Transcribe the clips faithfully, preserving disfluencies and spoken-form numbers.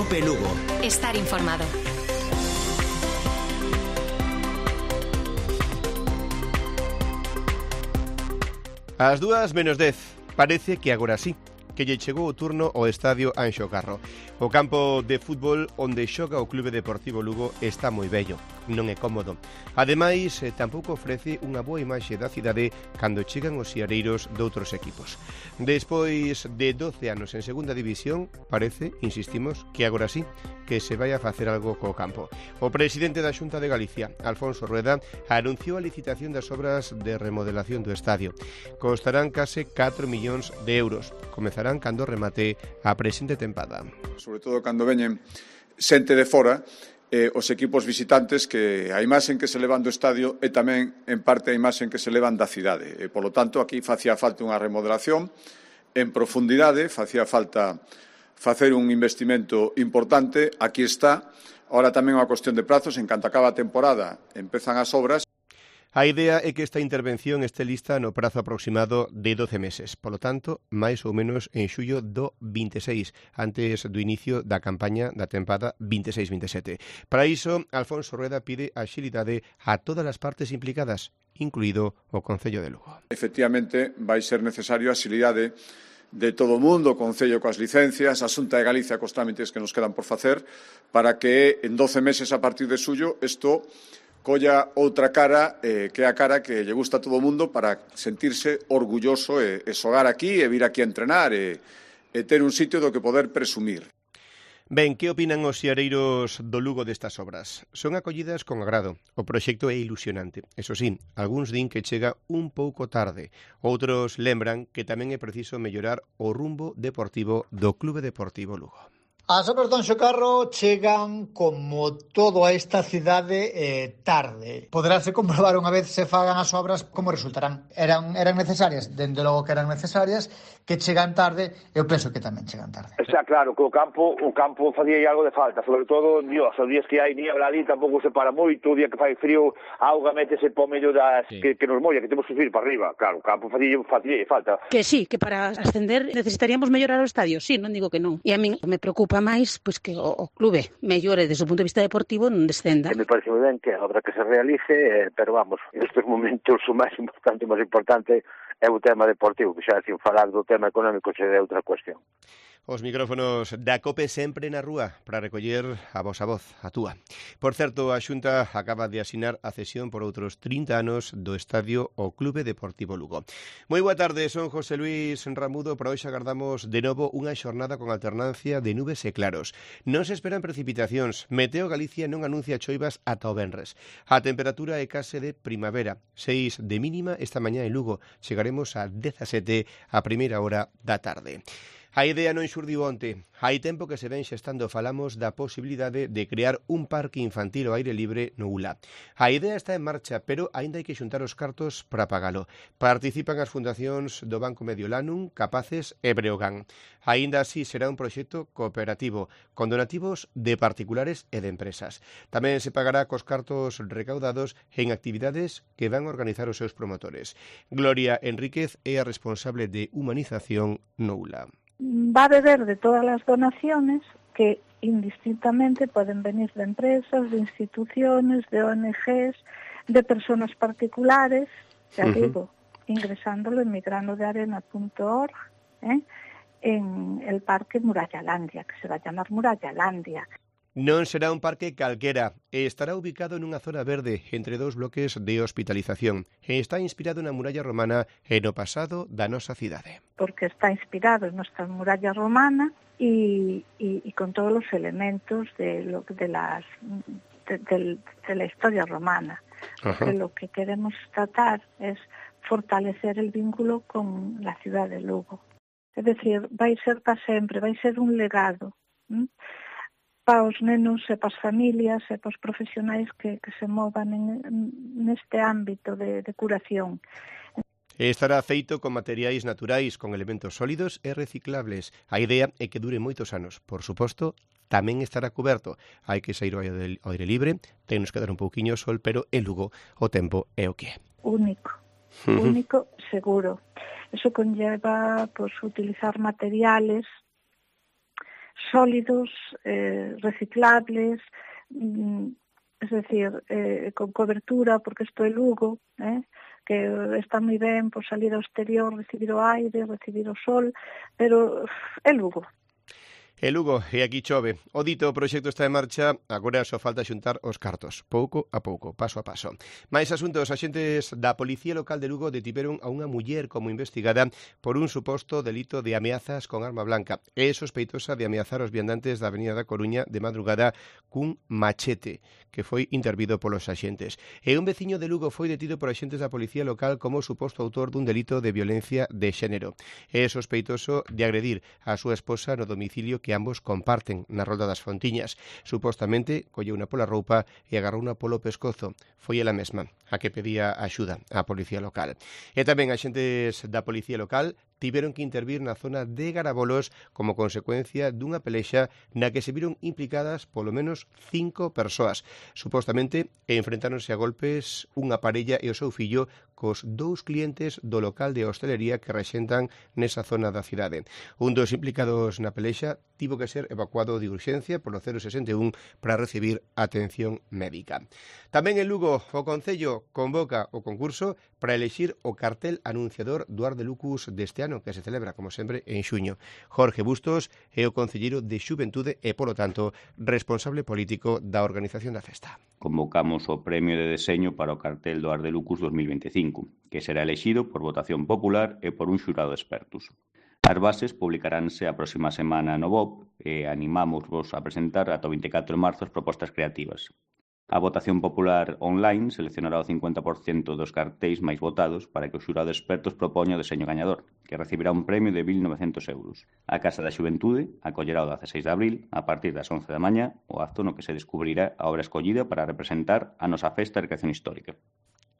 Cope Lugo. Estar informado. Ás dúas menos dez, parece que agora sí, que lle chegou o turno ao estadio Anxo Carro. O campo de fútbol onde xoga o Clube Deportivo Lugo está moi vello, non é cómodo. Ademais, eh, tampouco ofrece unha boa imaxe da cidade cando chegan os siareiros doutros equipos. Despois de doce anos en segunda división, parece, insistimos, que agora sí, que se vai a facer algo co campo. O presidente da Xunta de Galicia, Alfonso Rueda, anunciou a licitación das obras de remodelación do estadio. Costarán case catro millóns de euros. Comezarán cando remate a presente tempada. Sobre todo cando veñen xente de fora, eh, os equipos visitantes, que a imaxen que se levan do estadio é tamén en parte a imaxen que se levan da cidade. E, polo tanto, aquí facía falta unha remodelación en profundidade, facía falta facer un investimento importante. Aquí está. Ahora tamén unha cuestión de prazos. En canto acaba a temporada, empezan as obras. A idea é que esta intervención este lista no prazo aproximado de doce meses, polo tanto, máis ou menos en xullo do vinte e seis, antes do inicio da campaña da tempada vinte e seis vinte e sete. Para iso, Alfonso Rueda pide axilidade a todas as partes implicadas, incluído o Concello de Lugo. Efectivamente, vai ser necesario a axilidade de todo o mundo, o Concello coas licencias, a Xunta de Galicia cos trámites que nos quedan por facer, para que en doce meses a partir de xullo isto colla outra cara, eh, que é a cara que lle gusta a todo o mundo para sentirse orgulloso e, e xogar aquí e vir aquí a entrenar e, e ter un sitio do que poder presumir. Ben, que opinan os siareiros do Lugo destas obras? Son acollidas con agrado. O proxecto é ilusionante. Eso sí, algúns din que chega un pouco tarde. Outros lembran que tamén é preciso mellorar o rumbo deportivo do Clube Deportivo Lugo. As obras do Anxo Carro chegan, como todo a esta cidade, eh, tarde. Poderase comprobar unha vez se fagan as obras como resultarán. Eran, eran necesarias, dende logo que eran necesarias, que chegan tarde, eu penso que tamén chegan tarde. Está claro que o campo o campo facía algo de falta, sobre todo, dios, os días que hai niebla ali tampouco se para moito, o día que fai frío, a auga métese po medio das sí. que, que nos molla, que temos que subir para arriba. Claro, o campo facía, facía falta. Que sí, que para ascender necesitaríamos mellorar o estadio, sí, non digo que non. E a min me preocupa máis pois que o, o clube mellore desde o punto de vista deportivo, non descenda. Me parece moi ben que a obra que se realice, eh, pero vamos, nestes momentos o máis importante, o máis importante é o tema deportivo, que xa sin falar do tema económico se é outra cuestión. Os micrófonos da Cope sempre na rúa para recoller a vosa voz, a túa. Por certo, a Xunta acaba de asinar a cesión por outros trinta anos do estadio ao Clube Deportivo Lugo. Moi boa tarde, son José Luis Ramudo. Para hoxe agardamos de novo unha xornada con alternancia de nubes e claros. Non se esperan precipitacións. Meteo Galicia non anuncia choivas ata o venres. A temperatura é case de primavera. seis de mínima esta mañá en Lugo. Chegaremos a dezasete a primeira hora da tarde. A idea non xurdiu onte. Hai tempo que se ven xestando, falamos da posibilidade de crear un parque infantil ao aire libre no U L A. A idea está en marcha, pero aínda hai que xuntar os cartos para pagalo. Participan as fundacións do Banco Mediolanum, Capaces e Breogán. Aínda así será un proxecto cooperativo, con donativos de particulares e de empresas. Tamén se pagará cos cartos recaudados en actividades que van a organizar os seus promotores. Gloria Enríquez é a responsable de humanización no U L A. Va a beber de todas las donaciones que indistintamente pueden venir de empresas, de instituciones, de O N Ges, de personas particulares, ya uh-huh. digo, ingresándolo en migranodearena punto org, ¿eh? en el parque Murallalandia, que se va a llamar Murallalandia. Non será un parque calquera e estará ubicado nunha zona verde entre dous bloques de hospitalización e está inspirado na muralla romana e no pasado da nosa cidade. Porque está inspirado en nuestra muralla romana y, y, y con todos los elementos de, lo, de, las, de, de, de la historia romana. Porque lo que queremos tratar es fortalecer el vínculo con la ciudad de Lugo. Es decir, vai ser para sempre, vai ser un legado, ¿m? para os nenos e para as familias e para os profesionais que, que se movan en, neste ámbito de, de curación. Estará feito con materiais naturais, con elementos sólidos e reciclables. A idea é que dure moitos anos. Por suposto, tamén estará coberto. Hai que sair ao aire libre, tennos que dar un pouquiño de sol, pero en Lugo o tempo é o que é. Único, único, seguro. Eso conlleva pues, utilizar materiales sólidos, eh, reciclables, mm, es decir, eh, con cobertura, porque isto é Lugo, eh, que está moi ben por salir ao exterior, recibir o aire, recibir o sol, pero é Lugo. E Lugo, e aquí chove. O dito proxecto está en marcha, agora só falta xuntar os cartos, pouco a pouco, paso a paso. Mais asuntos, axentes da Policía Local de Lugo detiveron a unha muller como investigada por un suposto delito de ameazas con arma blanca. É sospeitosa de ameazar os viandantes da Avenida da Coruña de madrugada cun machete, que foi intervido polos axentes. E un veciño de Lugo foi detido por axentes da Policía Local como suposto autor dun delito de violencia de xénero. É sospeitoso de agredir a súa esposa no domicilio que ambos comparten na Rolda das Fontiñas. Supostamente, colleu unha pola roupa e agarrou unha polo pescozo. Foi ela mesma a que pedía axuda á Policía Local. E tamén axentes da Policía Local tiveron que intervir na zona de Garabolos como consecuencia dunha pelexa na que se viron implicadas polo menos cinco persoas. Supostamente enfrentáronse a golpes unha parella e o seu fillo cos dous clientes do local de hostelería que rexentan nesa zona da cidade. Un dos implicados na pelexa tivo que ser evacuado de urxencia polo cero sesenta e un para recibir atención médica. Tamén en Lugo, o Concello convoca o concurso para elexir o cartel anunciador do Ar de Lucus deste ano, que se celebra, como sempre, en xuño. Jorge Bustos é o concelleiro de Xuventude e, polo tanto, responsable político da organización da festa. Convocamos o premio de deseño para o cartel do Ar de Lucus dos mil veinticinco, que será elexido por votación popular e por un xurado de expertos. As bases publicaránse a próxima semana no B O P e animámosvos a presentar ata o vinte e catro de marzo as propostas creativas. A votación popular online seleccionará o cincuenta por cento dos cartéis máis votados para que o xurado de expertos propoña o deseño gañador, que recibirá un premio de mil novecentos euros. A Casa da Xuventude acollerá o dezaseis de abril, a partir das once da mañá, o acto no que se descubrirá a obra escollida para representar a nosa festa de recreación histórica.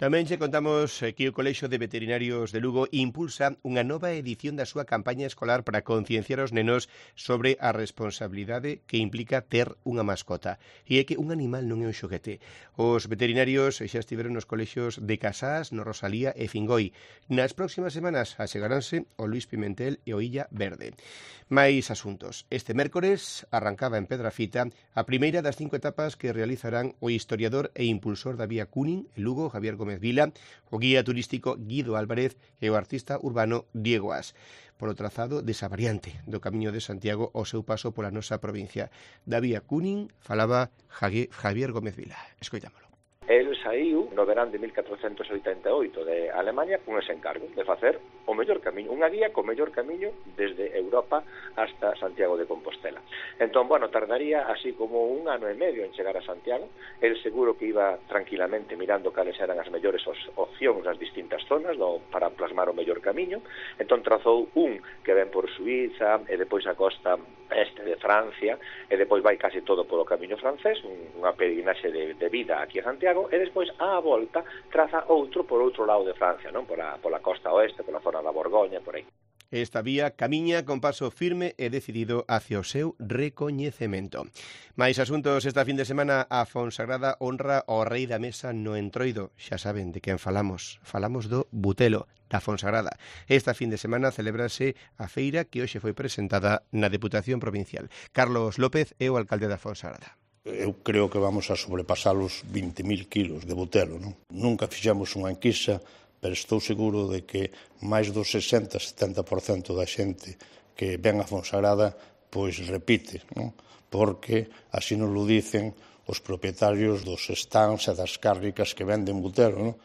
Tamén che contamos que o Colexio de Veterinarios de Lugo impulsa unha nova edición da súa campaña escolar para concienciar os nenos sobre a responsabilidade que implica ter unha mascota. E é que un animal non é un xoguete. Os veterinarios xa estiveron nos colexios de Casás, no Rosalía e Fingoi. Nas próximas semanas achegaránse o Luís Pimentel e o Illa Verde. Mais asuntos. Este mércores arrancaba en Pedrafita a primeira das cinco etapas que realizarán o historiador e impulsor da Vía Cúnin, en Lugo, Javier Gómez Vila, o guía turístico Guido Álvarez e o artista urbano Diego As, polo trazado desa variante do Camiño de Santiago ao seu paso pola nosa provincia. Da Vía Cúnin falaba Javier Gómez Vila. Escoitámolo. El saiu no verán de mil catrocentos oitenta e oito de Alemania con ese encargo de facer o mellor camiño, unha guía co mellor camiño desde Europa hasta Santiago de Compostela. Entón, bueno, tardaría así como un ano e medio en chegar a Santiago. El seguro que iba tranquilamente mirando cales eran as mellores opcións nas distintas zonas no, para plasmar o mellor camiño. Entón trazou un que ven por Suiza e depois a costa este de Francia e depois vai casi todo polo camiño francés, unha peregrinaxe de, de vida aquí a Santiago, e despois á volta traza outro por outro lado de Francia, non? Pola, pola costa oeste, pola zona da Borgoña, por aí. Esta vía camiña con paso firme e decidido hacia o seu recoñecemento. Mais asuntos esta fin de semana, a Fonsagrada honra ao rei da mesa no Entroido. Xa saben de quen falamos. Falamos do Butelo, da Fonsagrada. Esta fin de semana celebrase a feira que hoxe foi presentada na Deputación Provincial. Carlos López é o alcalde da Fonsagrada. Eu creo que vamos a sobrepasar os vinte mil kilos de butelo, non? Nunca fixemos unha enquisa, pero estou seguro de que máis do sesenta a setenta por cento da xente que ven a Fonsagrada pois repite, non? Porque así nos lo dicen os propietarios dos stands e das cárnicas que venden butelo, non?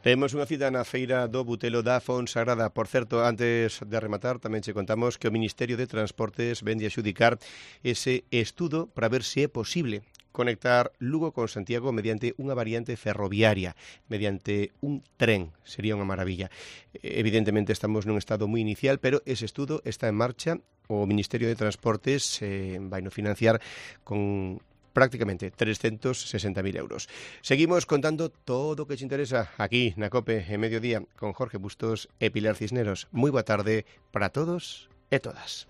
Temos unha cita na feira do Butelo da Fonsagrada. Por certo, antes de rematar, tamén che contamos que o Ministerio de Transportes vende a xudicar ese estudo para ver se é posible conectar Lugo con Santiago mediante unha variante ferroviaria, mediante un tren. Sería unha maravilla. Evidentemente estamos nun estado moi inicial, pero ese estudo está en marcha. O Ministerio de Transportes eh, vai no financiar con prácticamente trescentos sesenta mil euros. Seguimos contando todo o que te interesa aquí na COPE en Mediodía con Jorge Bustos e Pilar Cisneros. Moi boa tarde para todos e todas.